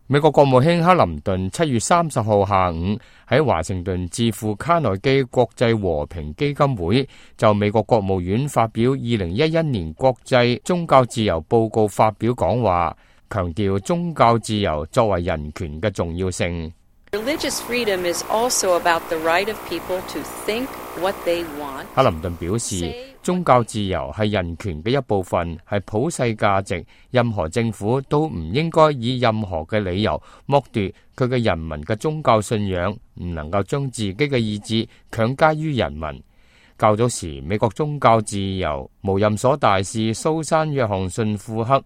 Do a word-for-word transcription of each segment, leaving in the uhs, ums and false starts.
美國國務卿克林頓七月三十號下午喺華盛頓智庫卡內基國際和平基金會就美國國務院發表二零一一年國際宗教自由報告發表講話，強調宗教自由作為人權嘅重要性。Religious freedom is also about the right of people to think what they want. 克林頓表示，宗教自由係人權嘅一部分，係普世價值。任何政府都唔應該以任何嘅理由剝奪佢嘅人民嘅宗教信仰，唔能夠將自己嘅意志強加於人民。較早時，美國宗教自由無任所大使蘇珊約翰遜庫克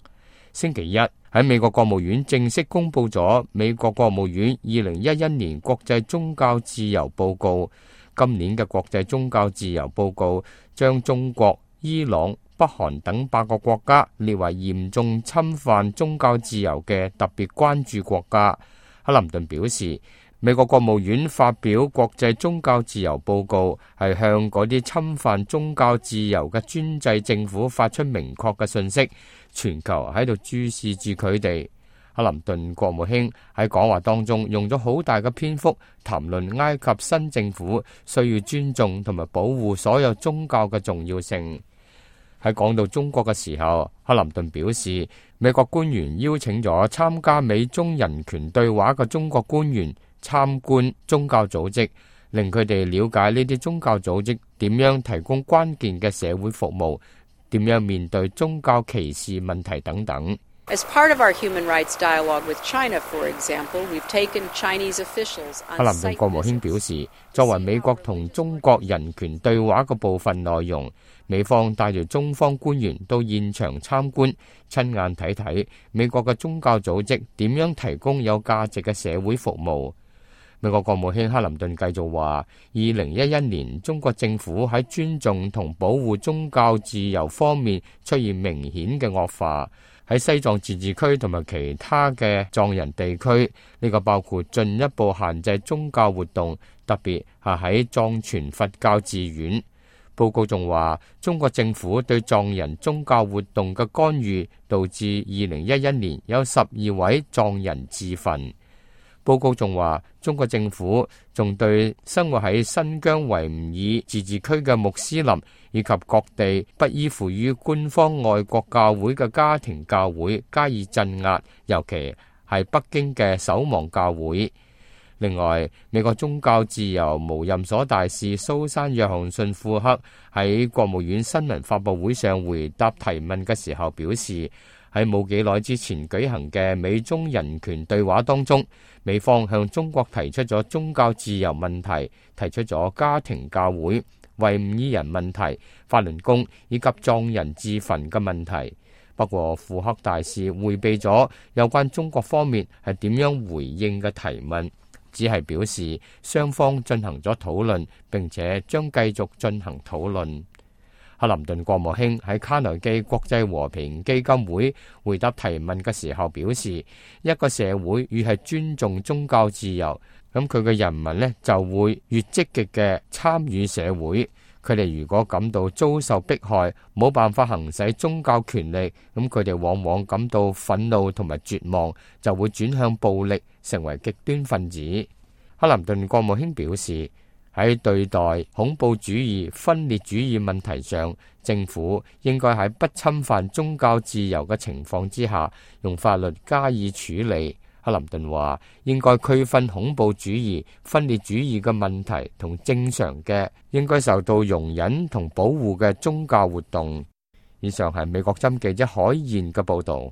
星期一喺美國國務院正式公布咗美國國務院二零一一年國際宗教自由報告。今年嘅國際宗教自由報告將中國、伊朗、北韓等八個國家列為嚴重侵犯宗教自由嘅特別關注國家。克林頓表示，美國國務院發表國際宗教自由報告，係向嗰啲侵犯宗教自由嘅專制政府發出明確嘅信息，全球喺度注視住佢哋。克林頓國務卿喺講話當中用咗好大嘅篇幅談論埃及新政府需要尊重同埋保護所有宗教嘅重要性。喺講到中國嘅時候，克林頓表示，美國官員邀請咗參加美中人權對話嘅中國官員參觀宗教組織，令佢哋了解呢啲宗教組織點樣提供關鍵嘅社會服務，點樣面對宗教歧視問題等等。As part of our human rights dialogue with China, for example, we've taken Chinese officials on site visits. 克林頓國務卿表示，作為美國同中國人權對話嘅部分內容，美方帶住中方官員到現場參觀，親眼睇睇美國嘅宗教組織點樣提供有價值嘅社會服務。美國國務卿克林頓繼續話，二零一一年中國政府喺尊重同保護宗教自由方面出現明顯嘅惡化。喺西藏自治區同埋其他嘅藏人地區，呢個包括進一步限制宗教活動，特別係喺藏傳佛教寺院。報告仲話，中國政府對藏人宗教活動嘅干預，導致二零一一年有十二位藏人自焚。報告仲話，中國政府仲對生活喺新疆維吾爾自治區嘅穆斯林以及各地不依附於官方外國教會嘅家庭教會加以鎮壓，尤其係北京嘅守望教會。另外，美國宗教自由無任所大使蘇珊約翰遜庫克喺國務院新聞發佈會上回答提問嘅時候表示，喺冇幾耐之前舉行嘅美中人權對話當中，美方向中國提出咗宗教自由問題，提出咗家庭教會、維吾爾人問題、法輪功以及藏人自焚嘅問題。不過庫克大使迴避咗有關中國方面係點樣回應嘅提問，只係表示雙方進行咗討論，並且將繼續進行討論。克林頓國務卿喺卡內基國際和平基金會回答提問嘅時候表示，一個社會越係尊重宗教自由，咁佢嘅人民呢就會越積極嘅參與社會。佢哋如果感到遭受迫害，冇辦法行使宗教權力，咁佢哋往往感到憤怒同埋絕望，就會轉向暴力，成為極端分子。克林頓國務卿表示，喺對待恐怖主義、分裂主義問題上，政府應該喺不侵犯宗教自由嘅情況之下，用法律加以處理。克林頓話，應該區分恐怖主義、分裂主義嘅問題同正常嘅應該受到容忍同保護嘅宗教活動。以上係美國針記者海燕嘅報導。